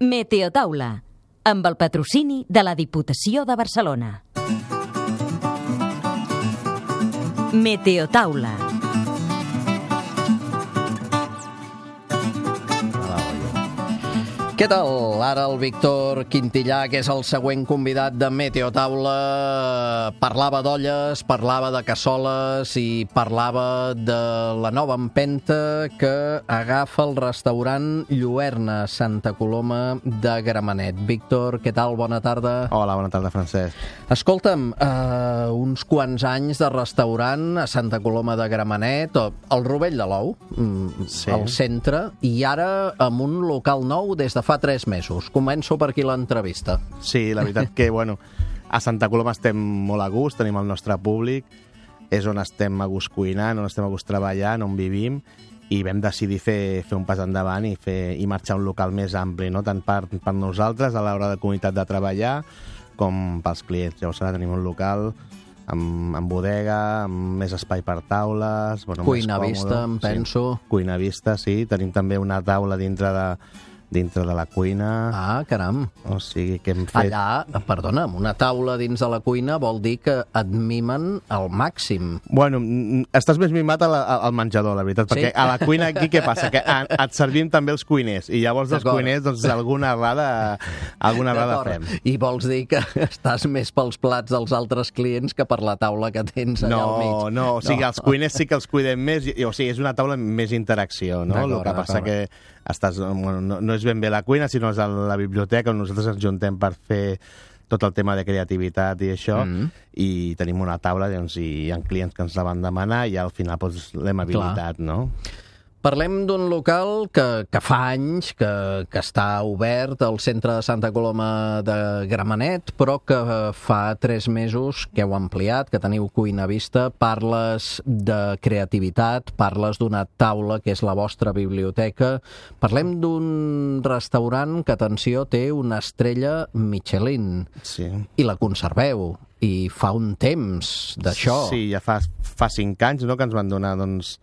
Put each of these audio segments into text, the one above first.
Meteotaula, amb el patrocini de la Diputació de Barcelona. Meteotaula. Què tal? Ara el Víctor Quintillà, que és el següent convidat de Meteotaula, parlava d'olles, parlava de cassoles i parlava de la nova empenta que agafa el restaurant Lluerna, Santa Coloma de Gramenet. Víctor, què tal? Bona tarda. Hola, bona tarda, Francesc. Escolta'm, uns quants anys de restaurant a Santa Coloma de Gramenet, al Rovell de l'Ou, Sí. al centre, i ara amb un local nou des de fa 3 mesos. Començo per aquí l'entrevista. Sí, la veritat que, bueno, a Santa Coloma estem molt a gust, tenim el nostre públic, és on estem a gust cuinant, on estem a gust treballant, on vivim, i vam decidir fer un pas endavant i marxar a un local més ampli, no? Tant per nosaltres a l'hora de comunitat de treballar com pels clients. Llavors ara tenim un local amb bodega, amb més espai per taules... Bueno, Cuina més vista, em penso. Sí, cuina vista, sí. Tenim també una taula dintre de la cuina. Ah, caram. O sigui que hem fet... Allà, perdona, amb una taula dins de la cuina vol dir que et mimen al màxim. Bueno, estàs més mimat al menjador, la veritat, perquè a la cuina aquí què passa? Que et servim també els cuiners, i llavors els cuiners, doncs, alguna errada fem. I vols dir que estàs més pels plats dels altres clients que per la taula que tens allà al mig? No, o sigui, els cuiners sí que els cuidem més, o sigui, és una taula amb més interacció, no? El que passa que no és ben bé la cuina, sinó és la biblioteca on nosaltres ens juntem per fer tot el tema de creativitat i això, i tenim una taula, doncs, i hi ha clients que ens la van demanar i al final doncs, l'hem habilitat, no? Parlem d'un local que fa anys que està obert al centre de Santa Coloma de Gramenet, però que fa 3 mesos que heu ampliat, que teniu cuina vista, parles de creativitat, parles d'una taula que és la vostra biblioteca. Parlem d'un restaurant que, atenció, té una estrella Michelin. Sí. I la conserveu. I fa un temps d'això. Sí, ja fa 5 anys, no?, que ens van donar, doncs,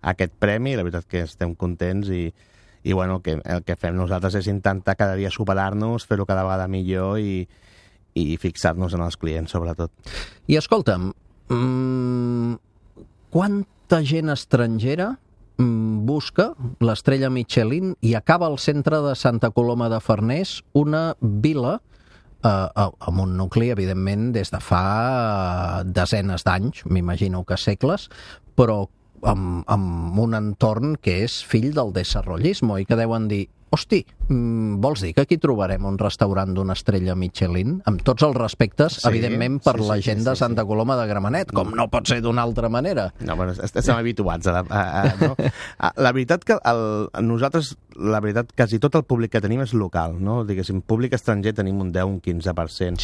aquest premi, la veritat que estem contents i bueno, el que fem nosaltres és intentar cada dia superar-nos, fer-ho cada vegada millor i fixar-nos en els clients, sobretot. I escolta'm, quanta gent estrangera busca l'estrella Michelin i acaba al centre de Santa Coloma de Farners, una vila amb un nucli, evidentment, des de fa desenes d'anys, m'imagino que segles, però amb un entorn que és fill del desarrollismo i que deuen dir, hosti, vols dir que aquí trobarem un restaurant d'una estrella Michelin? Amb tots els respectes, evidentment, per la gent de Santa Coloma de Gramenet, com no pot ser d'una altra manera. No, bueno, estem habituats no? La veritat que nosaltres, la veritat, quasi tot el públic que tenim és local, no? Diguéssim, públic estranger tenim un 10, un 15%.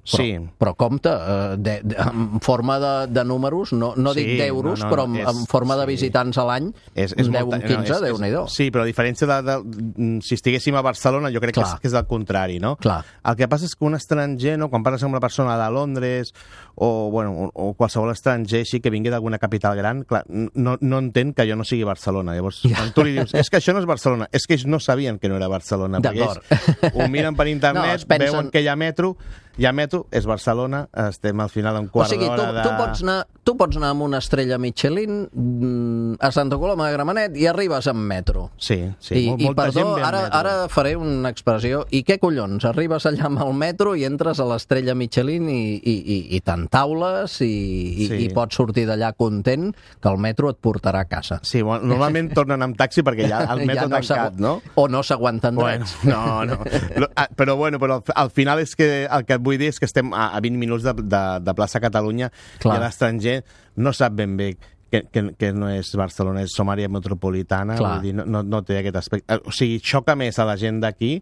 Sí, però compte, en forma de números, no dic d'euros, però en forma de visitants a l'any, un 10, un 15, Déu-n'hi-do. Sí, però a diferència si estiguéssim a Barcelona, jo crec que és el contrari, no? Clar. El que passa és que un estranger, no, quan parles amb una persona de Londres o qualsevol estranger així que vingui d'alguna capital gran, clar, no entén que jo no sigui Barcelona. Llavors, quan tu li dius, és que això no és Barcelona, és que ells no sabien que no era Barcelona, perquè ells ho miren per internet, veuen que hi ha metro, és Barcelona, estem al final en quart d'hora de... O sigui, tu pots anar amb una estrella Michelin a Santa Coloma de Gramenet i arribes amb metro. Sí. I perdó, ara faré una expressió. I què collons? Arribes allà amb el metro i entres a l'estrella Michelin i t'entaules i pots sortir d'allà content que el metro et portarà a casa. Sí, bueno, normalment tornen amb taxi perquè ja el metro tancat, no? O no s'aguanten drets. No. Però al final és que el que vull dir és que estem a 20 minuts de plaça Catalunya. Clar. I l'estranger no sap ben bé que no és Barcelona, és som àrea metropolitana, vull dir, no té aquest aspecte. O sigui, xoca més a la gent d'aquí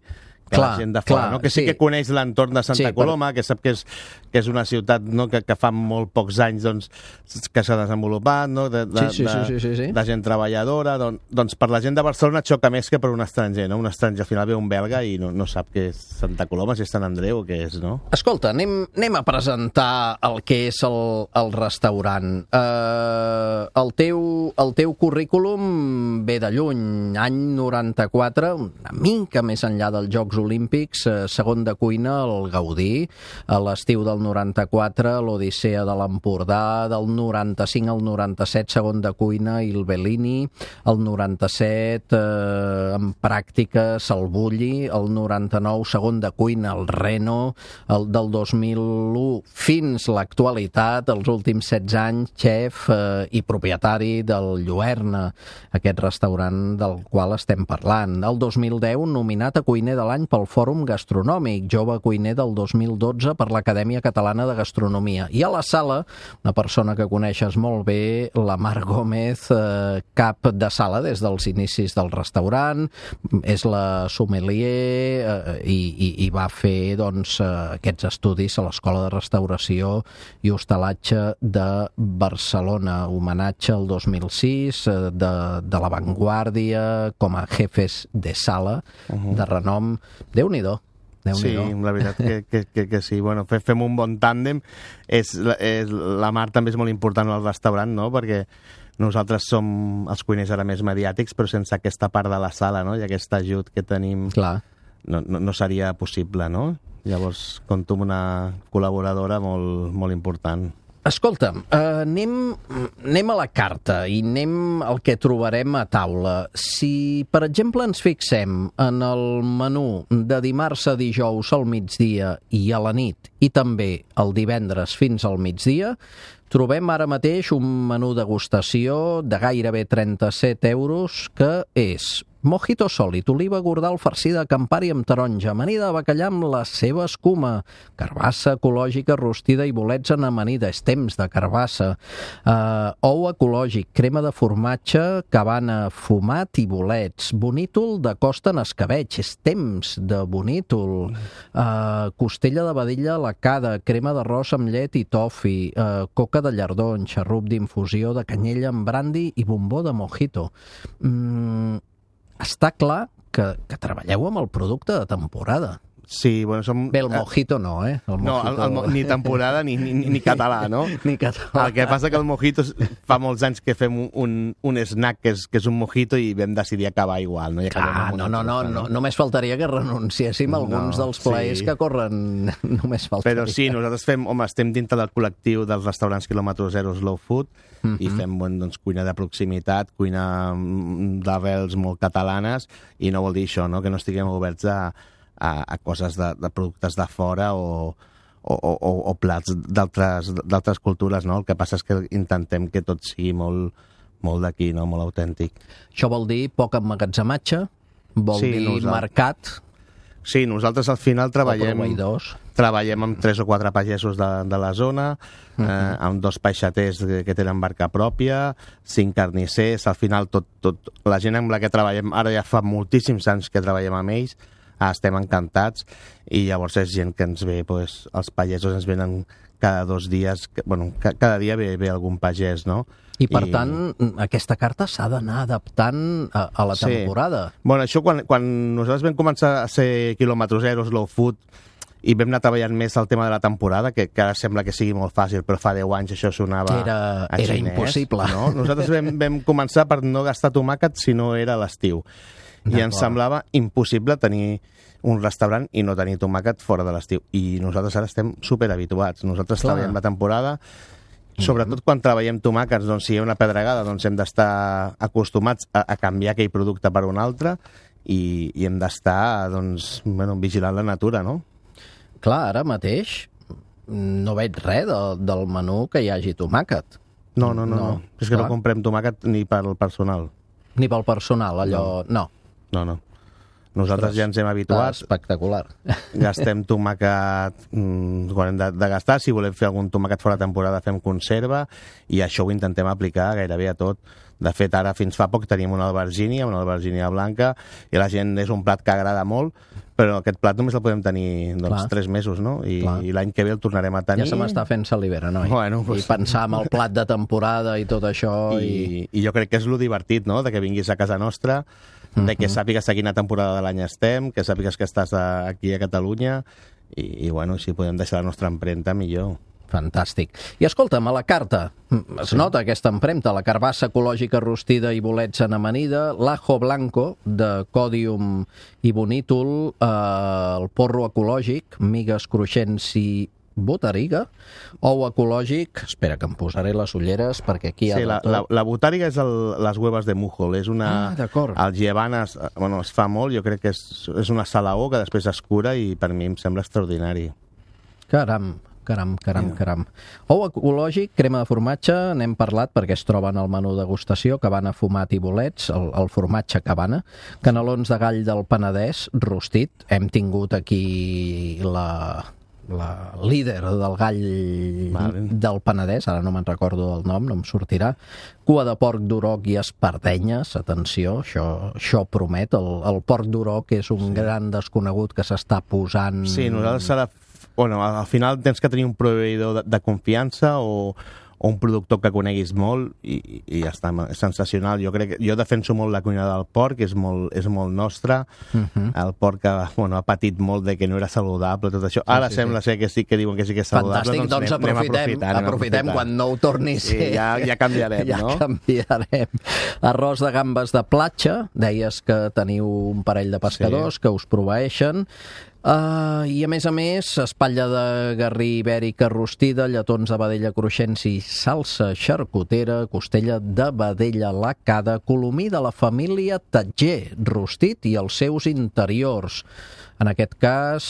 Clar, la gent de fora, clar, no? Que sí que coneix l'entorn de Santa Coloma, que sap que és una ciutat, no? que fa molt pocs anys doncs, que s'ha desenvolupat, no? de gent treballadora. Doncs per la gent de Barcelona xoca més que per un estranger, no? Un estranger al final ve un belga i no sap què és Santa Coloma, si és Sant Andreu o què és, no? Escolta, anem a presentar el que és el restaurant. El teu currículum ve de lluny, any 94, una mica més enllà dels Jocs Olímpics, segon de cuina al Gaudí, a l'estiu del 94 l'Odissea de l'Empordà, del 95 al 97 segon de cuina il Bellini, el 97 en pràctiques al Bulli, el 99 segon de cuina al Reno, el del 2001 fins l'actualitat, els últims 16 anys, xef i propietari del Lluerna, aquest restaurant del qual estem parlant. El 2010 nominat a cuiner de l'any pel Fòrum Gastronòmic, jove cuiner del 2012 per l'Acadèmia Catalana de Gastronomia. I a la sala, una persona que coneixes molt bé, la Mar Gómez, cap de sala des dels inicis del restaurant, és la sommelier i va fer doncs, aquests estudis a l'Escola de Restauració i Hostalatge de Barcelona, homenatge al 2006 de l'avantguàrdia com a jefes de sala de renom. Déu-n'hi-do. Sí, la veritat que sí. Bueno, fem un bon tàndem. La Mar també és molt important al restaurant, no? Perquè nosaltres som els cuiners ara més mediàtics, però sense aquesta part de la sala, no? I aquest ajut que tenim no seria possible, no? Llavors, compto amb una col·laboradora molt important. Escolta'm, anem a la carta i anem al que trobarem a taula. Si, per exemple, ens fixem en el menú de dimarts a dijous al migdia i a la nit, i també el divendres fins al migdia, trobem ara mateix un menú degustació de gairebé 37 euros que és mojito sòlid, oliva gordal farcida de campari amb taronja, amanida de bacallà amb la seva escuma, carbassa ecològica rostida i bolets en amanida, és temps de carbassa, ou ecològic, crema de formatge, cabana fumat i bolets, bonítol de costa en escabeig, és temps de bonítol, costella de vedella lacada, crema d'arròs amb llet i tofi, coca de llardó, xarrup d'infusió de canyella amb brandi i bombó de mojito. Està clar que treballeu amb el producte de temporada. Sí, bueno, som... Bé, el mojito no, eh? No, ni temporada ni català, no? Ni català. El que passa que el mojito fa molts anys que fem un snack que és un mojito i vam decidir acabar igual, no? No, només faltaria que renunciéssim a alguns dels plaers que corren, només faltaria. Però sí, nosaltres estem dintre del col·lectiu dels restaurants quilòmetre zero Slow Food i fem cuina de proximitat, cuina d'arrels molt catalanes i no vol dir això, no? Que no estiguem oberts a coses de productes de fora o plats d'altres cultures, no? El que passa és que intentem que tot sigui molt d'aquí, no? Molt autèntic. Això vol dir poc emmagatzematge? Vol dir mercat? Sí, nosaltres al final treballem amb 3 o 4 pagesos de la zona, amb 2 peixaters que tenen barca pròpia, 5 carnissers, al final la gent amb la que treballem, ara ja fa moltíssims anys que treballem amb ells, estem encantats i llavors és gent que ens ve, els pagesos ens venen cada 2 dies, cada dia ve algun pagès, no? I per tant, aquesta carta s'ha d'anar adaptant a la temporada. Bueno, això quan nosaltres vam començar a ser quilòmetre zero, slow food, i vam anar treballant més el tema de la temporada, que ara sembla que sigui molt fàcil, però fa 10 anys això sonava a xinès. Era impossible. No? Nosaltres vam començar per no gastar tomàquet si no era a l'estiu. I ens semblava impossible tenir un restaurant i no tenir tomàquet fora de l'estiu. I nosaltres ara estem superhabituats. Nosaltres treballem la temporada, sobretot quan treballem tomàquets, doncs si hi ha una pedregada, doncs hem d'estar acostumats a canviar aquell producte per un altre i hem d'estar vigilant la natura, no? Clar, ara mateix no veig res del menú que hi hagi tomàquet. No. És que no comprem tomàquet ni pel personal. Ni pel personal, allò... No. Nosaltres ja ens hem habituat. Espectacular. Gastem tomàquet quan hem de gastar. Si volem fer algun tomàquet fora de temporada fem conserva i això ho intentem aplicar gairebé a tot. De fet, ara fins fa poc teníem una albergínia blanca i la gent és un plat que agrada molt, però aquest plat només el podem tenir 3 mesos, no? I l'any que ve el tornarem a tenir. Ja se m'està fent salivera, noi? Bueno, pues... I pensar en el plat de temporada i tot això. I jo crec que és lo divertit, no?, de que vinguis a casa nostra, de que sàpigues a quina temporada de l'any estem, que sàpigues que estàs aquí a Catalunya, i bueno, si podem deixar la nostra empremta, millor. Fantàstic. I escolta'm, a la carta es nota aquesta empremta, la carbassa ecològica rostida i bolets en amanida, l'ajo blanco de còdium i bonítol, el porro ecològic, migues cruixents i botariga, ou ecològic, espera que em posaré les ulleres perquè aquí hi ha de tot. La botàriga és les huevas de mújol, és una... d'acord. El llevant es fa molt, jo crec que és una salaó que després es cura i per mi em sembla extraordinari. Caram. Ou ecològic, crema de formatge, n'hem parlat perquè es troben al menú degustació, cabana, fumat i bolets, el formatge cabana, canelons de gall del Penedès, rostit, hem tingut aquí la líder del gall del Penedès, ara no me'n recordo del nom, no em sortirà, cua de porc d'Uroc i espardenyes, atenció, això promet, el porc d'Uroc és un gran desconegut que s'està posant... Sí, nosaltres al final tens que tenir un proveïdor de confiança o un productor que coneguis molt i ja està, és sensacional. Jo defenso molt la cuina del porc, és molt nostra. El porc ha patit molt de que no era saludable, tot això. Ara sembla ser que sí, que diuen que sí que és saludable. Fantàstic, doncs aprofitem quan no ho torni a ser. Sí, ja canviarem, no? Ja canviarem. Arròs de gambes de platja, deies que teniu un parell de pescadors que us proveeixen. I a més, espatlla de garrí ibèrica rostida, lletons de vedella cruixents i salsa xarcutera, costella de vedella lacada, colomí de la família Tatger, rostit i els seus interiors. En aquest cas,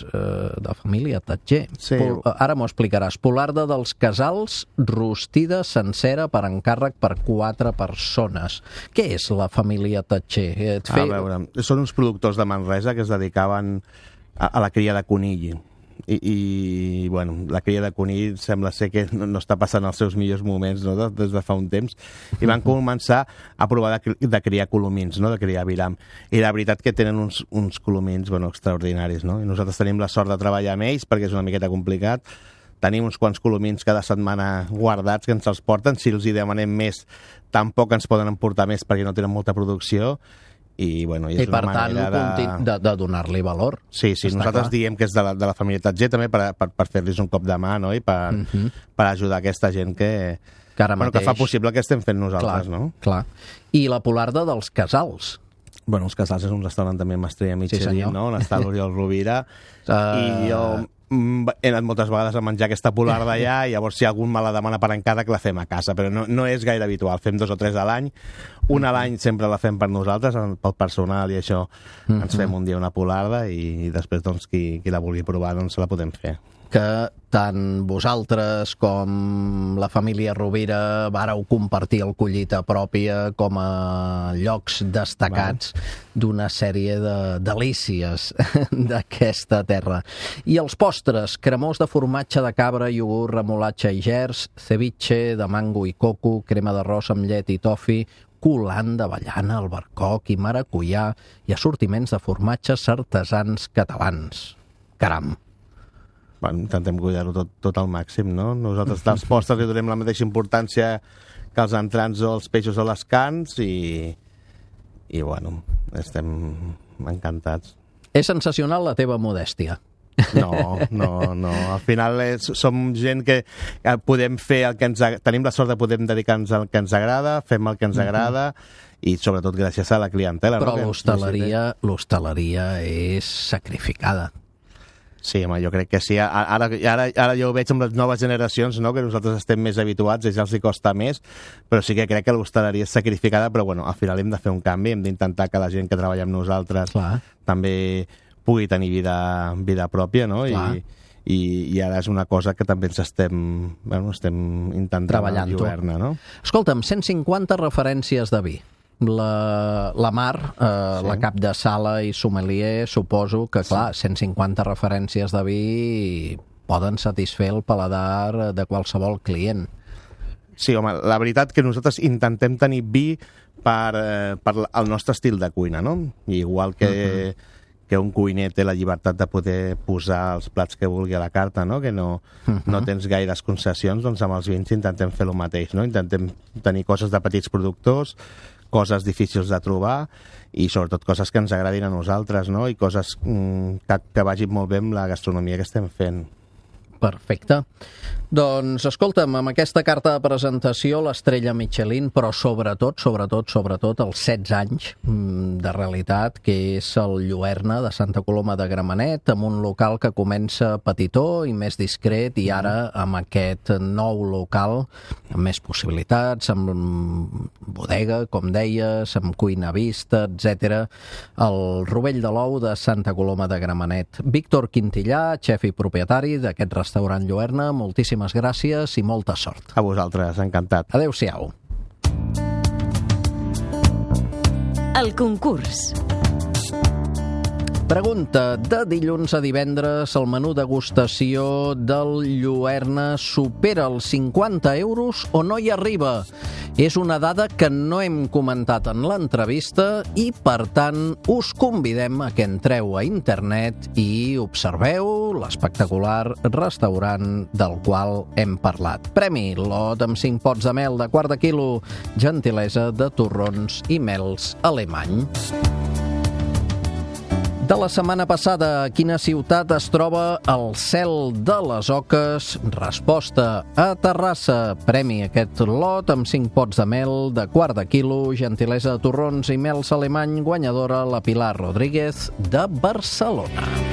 de família Tatger. Sí. Ara m'ho explicaràs. Polarda dels Casals, rostida sencera per encàrrec per 4 persones. Què és la família Tatger? A veure, són uns productors de Manresa que es dedicaven a la cria de conill. I la cria de conill sembla ser que no està passant els seus millors moments, no?, des de fa un temps, i van començar a provar de criar colomins, no?, de criar aviram, i la veritat que tenen uns colomins extraordinaris, no?, i nosaltres tenim la sort de treballar amb ells perquè és una miqueta complicat. Tenim uns quants colomins cada setmana guardats que ens els porten, si els hi demanem més tampoc ens poden emportar més perquè no tenen molta producció. I per tant de donar-li valor. Sí, nosaltres diem que és de la família Tatger també per fer-los un cop de mà, no?, i per ajudar aquesta gent que fa possible que estem fent nosaltres, no? Clar. I la Polarda dels Casals. Els Casals és un restaurant també amb estrella Michelin, no?, on està l'Oriol Rovira, i jo he anat moltes vegades a menjar aquesta polarda allà, i llavors si algun me la demana per encàrrec la fem a casa, però no és gaire habitual, fem 2 o 3 a l'any, una a l'any sempre la fem per nosaltres, pel personal i això, ens fem un dia una polarda i després qui la vulgui provar se la podem fer. Que tant vosaltres com la família Rovira vàreu compartir el collita pròpia com a llocs destacats d'una sèrie de delícies d'aquesta terra. I els postres, cremós de formatge de cabra, iogurt, remolatge i gerds, ceviche de mango i coco, crema d'arròs amb llet i tofi, coulant d'avellana, albercoc i maracuyà i assortiments de formatges artesans catalans. Caram! Intentem cuidar-ho tot al màxim, no? Nosaltres dels postres li donem la mateixa importància que els entrants o els peixos o les carns i estem encantats. És sensacional la teva modèstia. No. Al final som gent que podem fer el que tenim la sort de poder dedicar-nos al que ens agrada, fem el que ens agrada i sobretot gràcies a la clientela. Però l'hostaleria és sacrificada. Sí, home, jo crec que sí. Ara jo ho veig amb les noves generacions, no?, que nosaltres estem més habituats, ja els hi costa més, però sí que crec que l'hostaleria és sacrificada, però al final hem de fer un canvi, hem d'intentar que la gent que treballa amb nosaltres també pugui tenir vida pròpia, no? I ara és una cosa que també estem intentant treballar-ne, no? Escolta'm, 150 referències de vi. La Mar, la cap de sala i sommelier, suposo que, clar, 150 referències de vi poden satisfer el paladar de qualsevol client. Sí, home, la veritat que nosaltres intentem tenir vi per el nostre estil de cuina, no? Igual que que un cuiner té la llibertat de poder posar els plats que vulgui a la carta, no? Que no tens gaires concessions, doncs amb els vins intentem fer el mateix, no? Intentem tenir coses de petits productors, coses difícils de trobar i sobretot coses que ens agradin a nosaltres, no? I coses que vagin molt bé amb la gastronomia que estem fent. Perfecte. Doncs, escolta'm, amb aquesta carta de presentació, l'estrella Michelin, però sobretot, els 16 anys de realitat, que és el Lluerna de Santa Coloma de Gramenet, amb un local que comença petitó i més discret, i ara amb aquest nou local, amb més possibilitats, amb bodega, com deies, amb cuina vista, etc. El Rovell de l'Ou de Santa Coloma de Gramenet. Víctor Quintillà, xef i propietari d'aquest restaurant Lluerna, moltíssimes gràcies i molta sort. A vosaltres, encantat. Adéu-siau. El concurs. Pregunta: de dilluns a divendres el menú degustació del Lluerna supera els 50 euros o no hi arriba? És una dada que no hem comentat en l'entrevista i, per tant, us convidem a que entreu a internet i observeu l'espectacular restaurant del qual hem parlat. Premi: lot amb 5 pots de mel de quart de quilo, gentilesa de Torrons i Mels Alemany. De la setmana passada, a quina ciutat es troba el Cel de les Oques? Resposta: a Terrassa. Premi: aquest lot amb 5 pots de mel de quart de quilo, gentilesa de Torrons i Mels Alemany, guanyadora la Pilar Rodríguez de Barcelona.